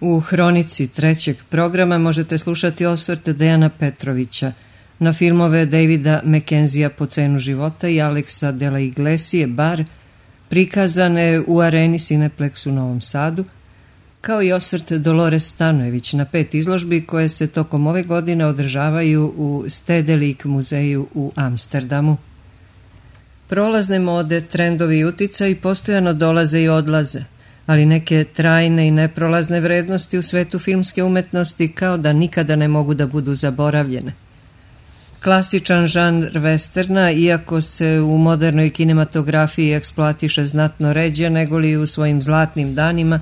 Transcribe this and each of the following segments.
U hronici trećeg programa možete slušati osvrt Dejana Petrovića na filmove Davida Mackenzija Po cenu života i Alexa de la Iglesie Bar, prikazane u areni Cineplex u Novom Sadu, kao i osvrt Dolores Stanojević na 5 izložbi koje se tokom ove godine održavaju u Stedelijk muzeju u Amsterdamu. Prolazne mode, trendovi i uticaj postojano dolaze i odlaze, ali neke trajne i neprolazne vrednosti u svetu filmske umetnosti kao da nikada ne mogu da budu zaboravljene. Klasičan žanr westerna, iako se u modernoj kinematografiji eksploatiše znatno ređe nego li u svojim zlatnim danima,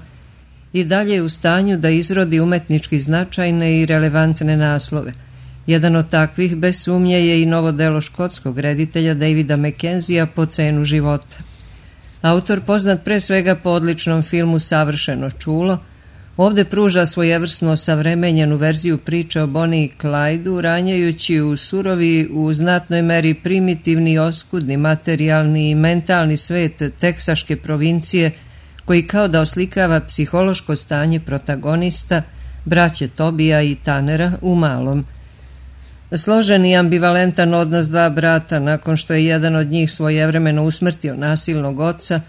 i dalje je u stanju da izrodi umetnički značajne i relevantne naslove. Jedan od takvih, bez sumnje, je i novo delo škotskog reditelja Davida Mackenzija Po cenu života. Autor, poznat pre svega po odličnom filmu Savršeno čulo, ovde pruža svojevrsno osavremenjenu verziju priče o Bonnie i Clydu, ranjajući u surovi, u znatnoj meri primitivni, oskudni, materijalni i mentalni svet teksaške provincije, koji kao da oslikava psihološko stanje protagonista, braće Tobija i Tanera u malom. Složen i ambivalentan odnos dva brata nakon što je jedan od njih svojevremeno usmrtio nasilnog oca,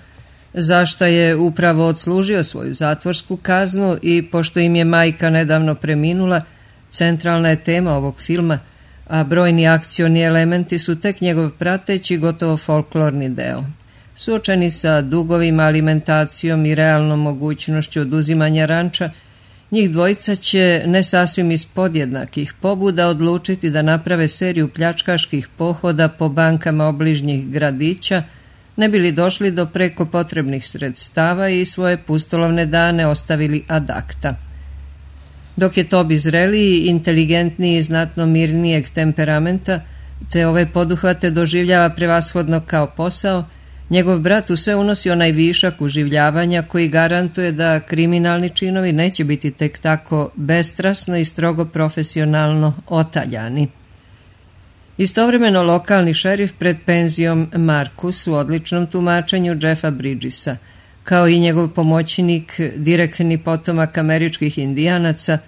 zašta je upravo odslužio svoju zatvorsku kaznu i pošto im je majka nedavno preminula, centralna je tema ovog filma, a brojni akcioni elementi su tek njegov prateći, gotovo folklorni deo. Suočeni sa dugovima, alimentacijom i realnom mogućnošću oduzimanja ranča, njih dvojica će ne sasvim iz podjednakih pobuda odlučiti da naprave seriju pljačkaških pohoda po bankama obližnjih gradića, ne bili došli do preko potrebnih sredstava i svoje pustolovne dane ostavili ad acta. Dok je Tobi zreliji, inteligentniji i znatno mirnijeg temperamenta, te ove poduhvate doživljava prevashodno kao posao, njegov brat u sve unosi onaj višak uživljavanja koji garantuje da kriminalni činovi neće biti tek tako bestrasno i strogo profesionalno otaljani. Istovremeno lokalni šerif pred penzijom Markus u odličnom tumačenju Jeffa Bridgesa, kao i njegov pomoćnik, direktni potomak američkih indijanaca,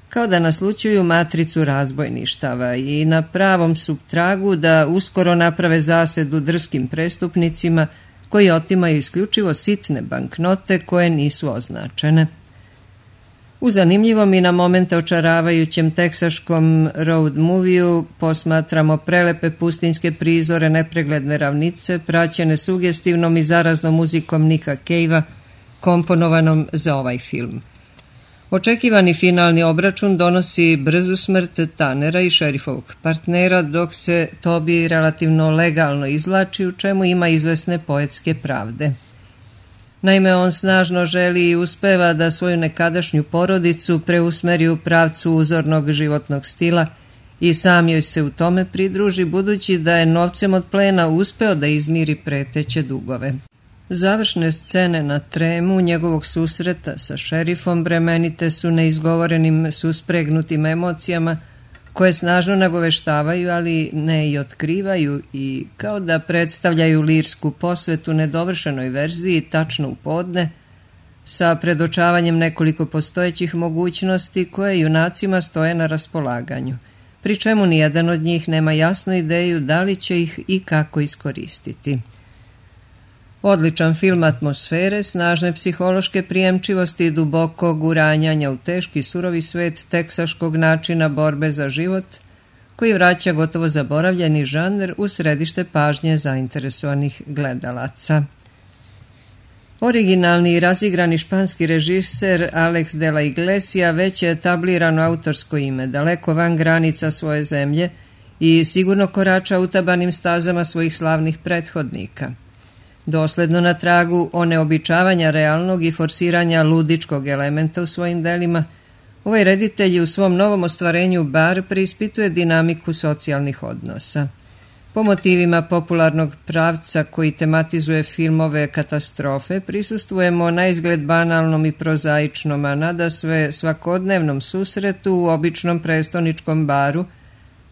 kao da naslućuju matricu razbojništava i na pravom su tragu da uskoro naprave zasedu drskim prestupnicima koji otimaju isključivo sitne banknote koje nisu označene. U zanimljivom i na momente očaravajućem teksaškom road moviju posmatramo prelepe pustinjske prizore, nepregledne ravnice, praćene sugestivnom i zaraznom muzikom Nicka Cavea, komponovanom za ovaj film. Očekivani finalni obračun donosi brzu smrt Tanera i šerifovog partnera, dok se Toby relativno legalno izvlači, u čemu ima izvesne poetske pravde. Naime, on snažno želi i uspeva da svoju nekadašnju porodicu preusmeri u pravcu uzornog životnog stila i sam joj se u tome pridruži, budući da je novcem od plena uspeo da izmiri preteće dugove. Završne scene na tremu njegovog susreta sa šerifom bremenite su neizgovorenim suspregnutim emocijama koje snažno nagoveštavaju, ali ne i otkrivaju, i kao da predstavljaju lirsku posvetu nedovršenoj verziji tačno u podne, sa predočavanjem nekoliko postojećih mogućnosti koje junacima stoje na raspolaganju, pri čemu nijedan od njih nema jasnu ideju da li će ih i kako iskoristiti. Odličan film atmosfere, snažne psihološke prijemčivosti i dubokog uranjanja u teški surovi svet teksaškog načina borbe za život, koji vraća gotovo zaboravljeni žanr u središte pažnje zainteresovanih gledalaca. Originalni i razigrani španski režiser Alex de la Iglesia već je etablirano autorsko ime, daleko van granica svoje zemlje i sigurno korača utabanim stazama svojih slavnih prethodnika. Dosledno na tragu oneobičavanja realnog i forsiranja ludičkog elementa u svojim delima, ovaj reditelj u svom novom ostvarenju Bar preispituje dinamiku socijalnih odnosa. Po motivima popularnog pravca koji tematizuje filmove katastrofe, prisustvujemo na izgled banalnom i prozaičnom, a nadasve svakodnevnom susretu u običnom prestoničkom baru,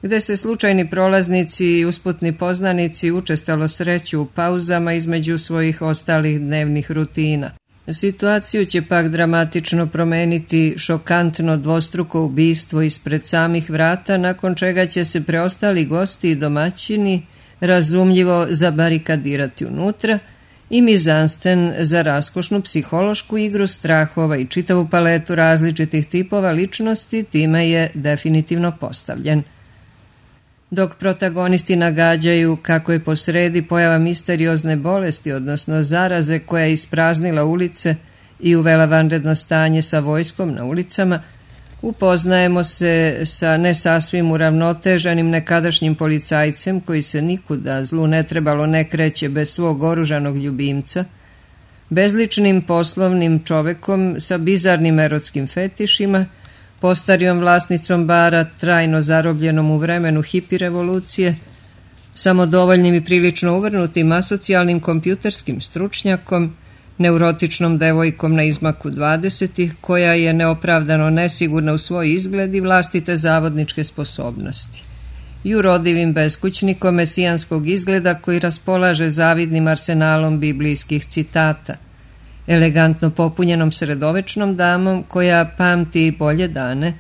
gde se slučajni prolaznici i usputni poznanici učestalo sreću u pauzama između svojih ostalih dnevnih rutina. Situaciju će pak dramatično promeniti šokantno dvostruko ubistvo ispred samih vrata, nakon čega će se preostali gosti i domaćini razumljivo zabarikadirati unutra i mizanscen za raskošnu psihološku igru strahova i čitavu paletu različitih tipova ličnosti time je definitivno postavljen. Dok protagonisti nagađaju kako je posredi pojava misteriozne bolesti, odnosno zaraze koja je ispraznila ulice i uvela vanredno stanje sa vojskom na ulicama, upoznajemo se sa ne sasvim uravnoteženim nekadašnjim policajcem koji se nikuda zlu ne trebalo ne kreće bez svog oružanog ljubimca, bezličnim poslovnim čovekom sa bizarnim erotskim fetišima, postarijom vlasnicom bara trajno zarobljenom u vremenu hipi revolucije, samodovoljnim i prilično uvrnutim asocijalnim kompjuterskim stručnjakom, neurotičnom devojkom na izmaku 20-ih koja je neopravdano nesigurna u svoj izgled i vlastite zavodničke sposobnosti, i urodivim beskućnikom mesijanskog izgleda koji raspolaže zavidnim arsenalom biblijskih citata, elegantno popunjenom sredovečnom damom koja pamti bolje dane,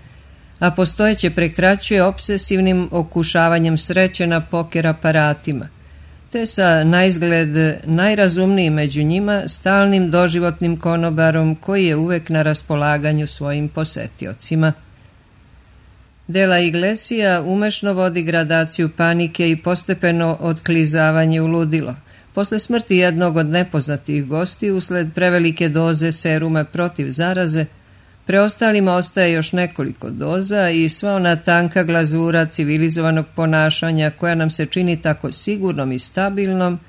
a postojeće prekraćuje obsesivnim okušavanjem sreće na poker aparatima, te sa naizgled najrazumnijim među njima stalnim doživotnim konobarom koji je uvek na raspolaganju svojim posetiocima. De la Iglesia umešno vodi gradaciju panike i postepeno otklizavanje u ludilo. Posle smrti jednog od nepoznatih gosti usled prevelike doze seruma protiv zaraze, preostalima ostaje još nekoliko doza i sva ona tanka glazura civilizovanog ponašanja koja nam se čini tako sigurnom i stabilnom,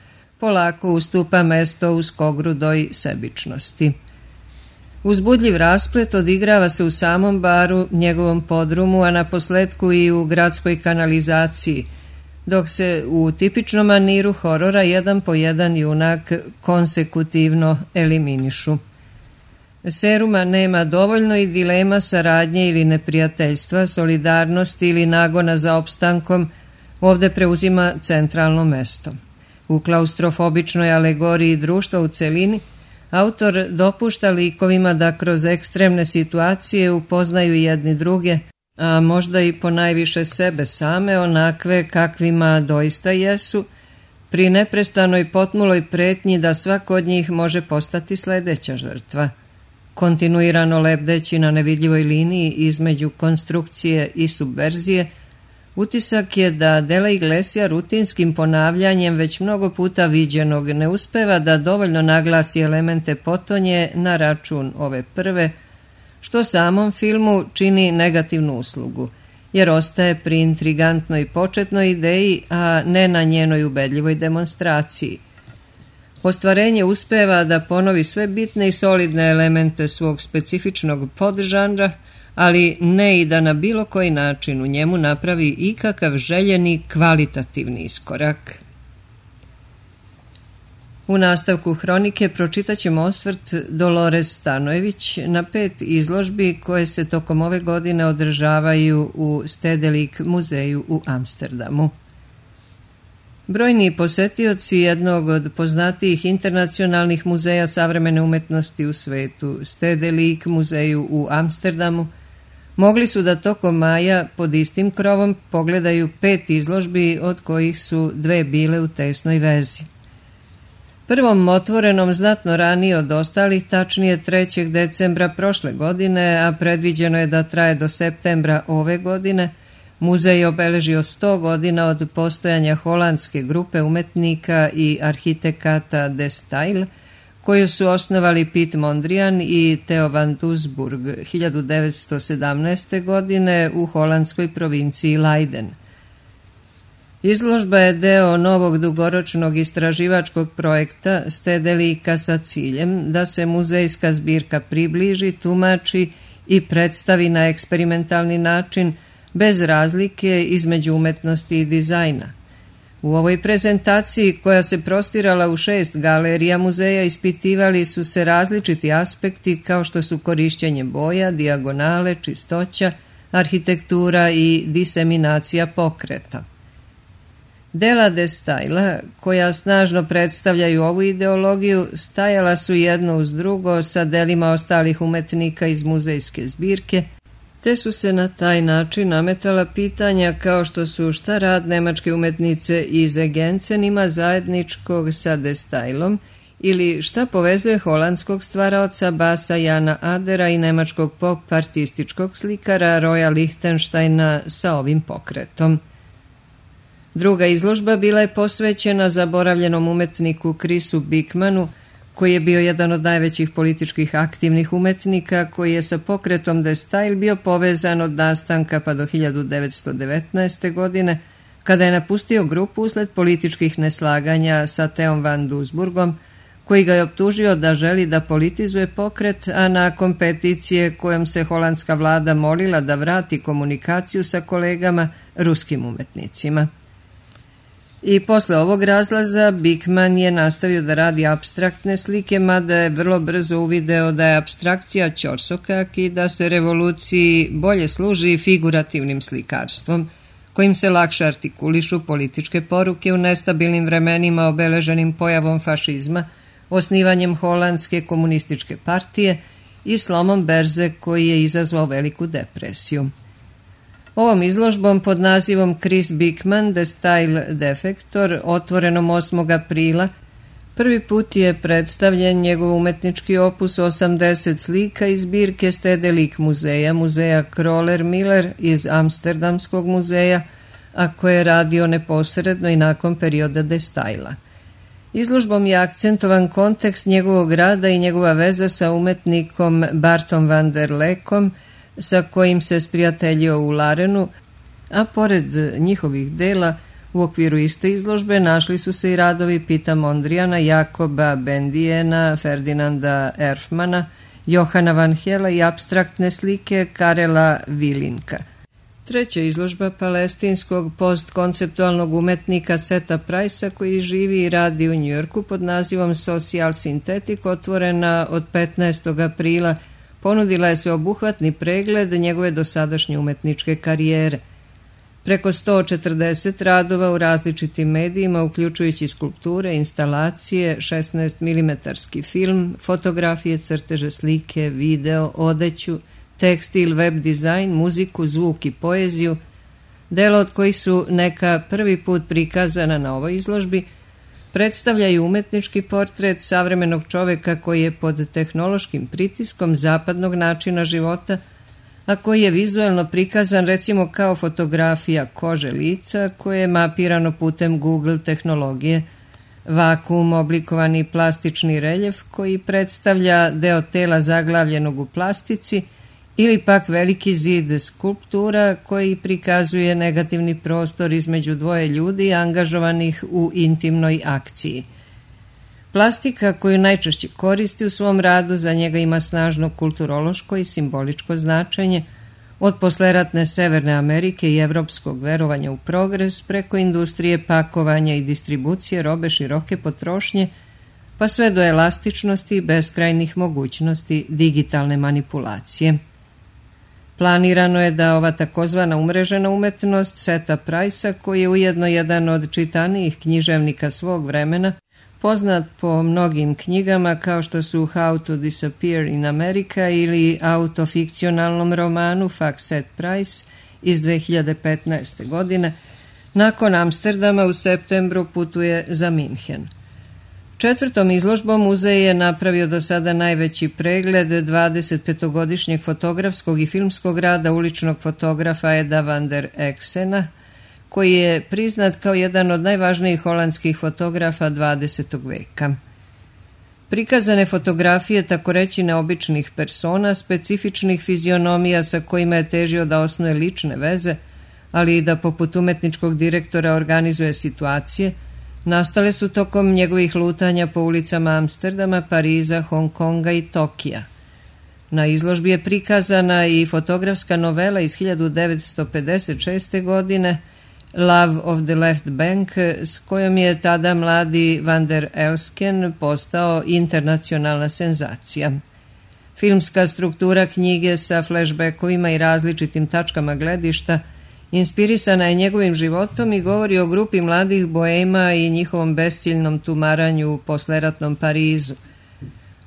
polako ustupa mesto uskogrudoj sebičnosti. Uzbudljiv rasplet odigrava se u samom baru, njegovom podrumu, a naposletku i u gradskoj kanalizaciji, dok se u tipičnom maniru horora jedan po jedan junak konsekutivno eliminišu. Seruma nema dovoljno i dilema saradnje ili neprijateljstva, solidarnosti ili nagona za opstankom ovde preuzima centralno mesto. U klaustrofobičnoj alegoriji društva u celini autor dopušta likovima da kroz ekstremne situacije upoznaju jedni druge, a možda i ponajviše sebe same, onakve kakvima doista jesu, pri neprestanoj potmuloj pretnji da svako od njih može postati sledeća žrtva. Kontinuirano lebdeći na nevidljivoj liniji između konstrukcije i subverzije, utisak je da De la Iglesia rutinskim ponavljanjem već mnogo puta viđenog ne uspeva da dovoljno naglasi elemente potonje na račun ove prve, što samom filmu čini negativnu uslugu, jer ostaje pri intrigantnoj početnoj ideji, a ne na njenoj ubedljivoj demonstraciji. Ostvarenje uspeva da ponovi sve bitne i solidne elemente svog specifičnog podžanra, ali ne i da na bilo koji način u njemu napravi ikakav željeni kvalitativni iskorak. U nastavku hronike pročitat ćemo osvrt Dolores Stanojević na 5 izložbi koje se tokom ove godine održavaju u Stedelijk muzeju u Amsterdamu. Brojni posetioci jednog od poznatijih internacionalnih muzeja savremene umetnosti u svetu, Stedelijk muzeju u Amsterdamu, mogli su da tokom maja pod istim krovom pogledaju 5 izložbi, od kojih su 2 bile u tesnoj vezi. Prvom otvorenom znatno ranije od ostalih, tačnije 3. decembra prošle godine, a predviđeno je da traje do septembra ove godine, muzej je obeležio 100 godina od postojanja holandske grupe umetnika i arhitekata De Stijl, koju su osnovali Piet Mondrian i Theo van Doesburg 1917. godine u holandskoj provinciji Leiden. Izložba je deo novog dugoročnog istraživačkog projekta Stedelika sa ciljem da se muzejska zbirka približi, tumači i predstavi na eksperimentalni način bez razlike između umetnosti i dizajna. U ovoj prezentaciji, koja se prostirala u 6 galerija muzeja, ispitivali su se različiti aspekti kao što su korišćenje boja, dijagonale, čistoća, arhitektura i diseminacija pokreta. Dela de Stijla, koja snažno predstavljaju ovu ideologiju, stajala su jedno uz drugo sa delima ostalih umetnika iz muzejske zbirke, te su se na taj način nametala pitanja kao što su šta rad nemačke umetnice iz Egencen ima zajedničkog sa de Stijlom ili šta povezuje holandskog stvaraoca Basa Jana Adera i nemačkog pop artističkog slikara Roya Lichtensteina sa ovim pokretom. Druga izložba bila je posvećena zaboravljenom umetniku Chrisu Bickmanu, koji je bio jedan od najvećih političkih aktivnih umetnika, koji je sa pokretom de Stijl bio povezan od nastanka pa do 1919. godine, kada je napustio grupu usled političkih neslaganja sa Theom van Doesburgom, koji ga je optužio da želi da politizuje pokret, a nakon peticije kojom se holandska vlada molila da vrati komunikaciju sa kolegama ruskim umetnicima. I posle ovog razlaza Bickman je nastavio da radi apstraktne slike, mada je vrlo brzo uvideo da je apstrakcija ćorsokak i da se revoluciji bolje služi figurativnim slikarstvom, kojim se lakše artikulišu političke poruke u nestabilnim vremenima obeleženim pojavom fašizma, osnivanjem holandske komunističke partije i slomom berze koji je izazvao veliku depresiju. Ovom izložbom pod nazivom Chris Bickman, The Style Defector, otvorenom 8. aprila, prvi put je predstavljen njegov umetnički opus 80 slika iz zbirke Stedelijk muzeja, muzeja Kröller-Müller iz Amsterdamskog muzeja, a koje je radio neposredno i nakon perioda de Stijla. Izložbom je akcentovan kontekst njegovog rada i njegova veza sa umetnikom Bartom van der Leekom, sa kojim se sprijateljio u Larenu, a pored njihovih dela u okviru iste izložbe našli su se i radovi Pita Mondrijana, Jakoba Bendijena, Ferdinanda Erfmana, Johana van Hela i apstraktne slike Karela Vilinka. Treća izložba palestinskog postkonceptualnog umetnika Seta Price-a, koji živi i radi u Njujorku pod nazivom Social Synthetic, otvorena od 15. aprila, ponudila je sveobuhvatni pregled njegove dosadašnje umetničke karijere. Preko 140 radova u različitim medijima, uključujući skulpture, instalacije, 16 mm film, fotografije, crteže, slike, video, odeću, tekstil, web dizajn, muziku, zvuk i poeziju, dela od kojih su neka prvi put prikazana na ovoj izložbi, predstavljaju umetnički portret savremenog čoveka koji je pod tehnološkim pritiskom zapadnog načina života, a koji je vizuelno prikazan recimo kao fotografija kože lica koje je mapirano putem Google tehnologije, vakuum oblikovani plastični reljef koji predstavlja deo tela zaglavljenog u plastici ili pak veliki zid skulptura koji prikazuje negativni prostor između dvoje ljudi angažovanih u intimnoj akciji. Plastika koju najčešće koristi u svom radu za njega ima snažno kulturološko i simboličko značenje, od posleratne Severne Amerike i evropskog verovanja u progres preko industrije pakovanja i distribucije robe široke potrošnje, pa sve do elastičnosti i beskrajnih mogućnosti digitalne manipulacije. Planirano je da ova takozvana umrežena umetnost Seta Price-a, koji je ujedno jedan od čitanijih književnika svog vremena, poznat po mnogim knjigama kao što su How to Disappear in America ili autofikcionalnom romanu Fuck Set Price iz 2015. godine, nakon Amsterdama u septembru putuje za Minhen. Četvrtom izložbom muzej je napravio do sada najveći pregled 25-godišnjeg fotografskog i filmskog rada uličnog fotografa Eda van der Exena, koji je priznat kao jedan od najvažnijih holandskih fotografa 20. veka. Prikazane fotografije takoreći neobičnih persona, specifičnih fizionomija sa kojima je težio da osnuje lične veze, ali i da poput umetničkog direktora organizuje situacije, nastale su tokom njegovih lutanja po ulicama Amsterdama, Pariza, Hong Konga i Tokija. Na izložbi je prikazana i fotografska novela iz 1956. godine Love of the Left Bank, s kojom je tada mladi Van der Elsken postao internacionalna senzacija. Filmska struktura knjige sa flashbackovima i različitim tačkama gledišta Inspirisana je njegovim životom i govori o grupi mladih boema i njihovom besciljnom tumaranju u posleratnom Parizu.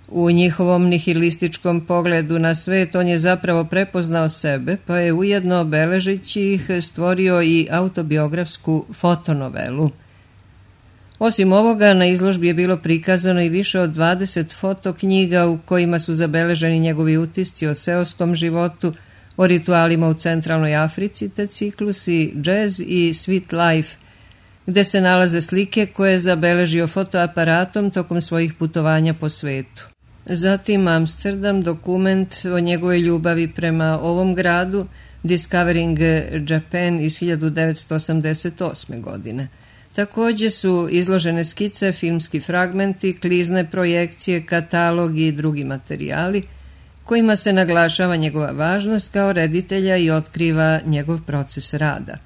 U njihovom nihilističkom pogledu na svet on je zapravo prepoznao sebe, pa je ujedno beležeći ih stvorio i autobiografsku fotonovelu. Osim ovoga, na izložbi je bilo prikazano i više od 20 fotoknjiga u kojima su zabeleženi njegovi utisci o seoskom životu, o ritualima u centralnoj Africi, te ciklusi Jazz i Sweet Life, gde se nalaze slike koje je zabeležio fotoaparatom tokom svojih putovanja po svetu. Zatim Amsterdam, dokument o njegovoj ljubavi prema ovom gradu, Discovering Japan iz 1988. godine. Također su izložene skice, filmski fragmenti, klizne projekcije, katalogi i drugi materijali, kojima se naglašava njegova važnost kao reditelja i otkriva njegov proces rada.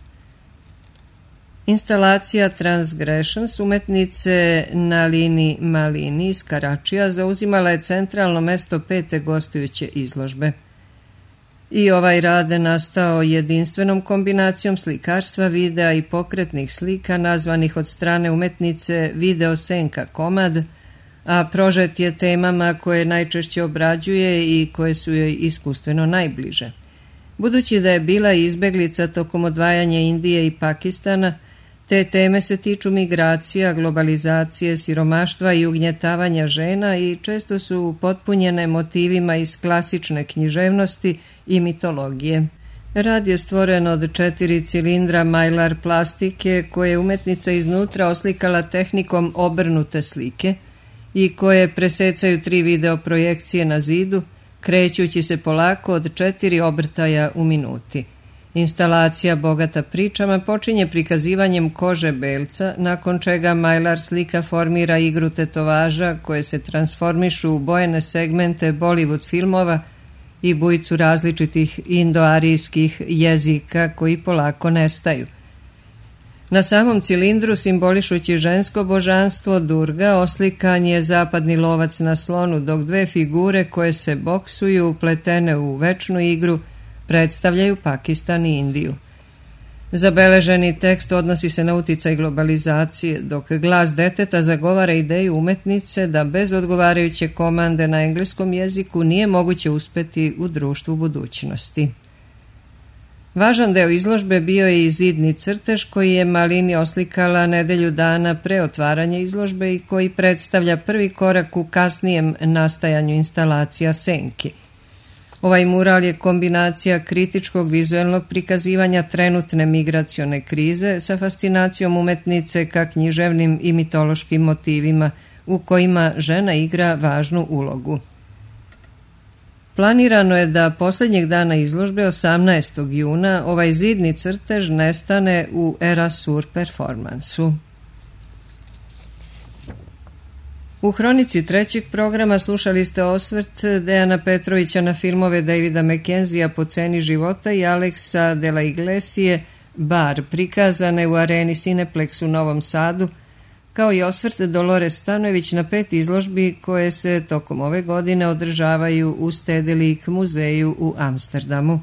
Instalacija Transgressions umetnice Nalini Malini iz Karačija zauzimala je centralno mesto 5. gostujuće izložbe. I ovaj rad je nastao jedinstvenom kombinacijom slikarstva, videa i pokretnih slika nazvanih od strane umetnice video senka komad, a prožet je temama koje najčešće obrađuje i koje su joj iskustveno najbliže. Budući da je bila izbeglica tokom odvajanja Indije i Pakistana, te teme se tiču migracija, globalizacije, siromaštva i ugnjetavanja žena i često su potpunjene motivima iz klasične književnosti i mitologije. Rad je stvoren od 4 cilindra Mylar plastike koje je umetnica iznutra oslikala tehnikom obrnute slike i koje presecaju 3 video projekcije na zidu, krećući se polako od 4 obrtaja u minuti. Instalacija bogata pričama počinje prikazivanjem kože belca, nakon čega Mylar slika formira igru tetovaža koje se transformišu u bojene segmente Bollywood filmova i bujicu različitih indoarijskih jezika koji polako nestaju. Na samom cilindru, simbolišući žensko božanstvo Durga, oslikan je zapadni lovac na slonu, dok 2 figure koje se boksuju, upletene u večnu igru, predstavljaju Pakistan i Indiju. Zabeleženi tekst odnosi se na uticaj globalizacije, dok glas deteta zagovara ideju umetnice da bez odgovarajuće komande na engleskom jeziku nije moguće uspeti u društvu budućnosti. Važan deo izložbe bio je i zidni crtež koji je Malini oslikala nedelju dana pre otvaranja izložbe i koji predstavlja prvi korak u kasnijem nastajanju instalacija senki. Ovaj mural je kombinacija kritičkog vizuelnog prikazivanja trenutne migracione krize sa fascinacijom umetnice ka književnim i mitološkim motivima u kojima žena igra važnu ulogu. Planirano je da posljednjeg dana izložbe 18. juna ovaj zidni crtež nestane u Erasur performansu. U hronici 3. programa slušali ste osvrt Dejana Petrovića na filmove Davida Mackenzija Po ceni života i Alexa de la Iglesie Bar, prikazane u areni Cineplex u Novom Sadu, kao i osvrt Dolores Stanojević na 5 izložbi koje se tokom ove godine održavaju u Stedelijk muzeju u Amsterdamu.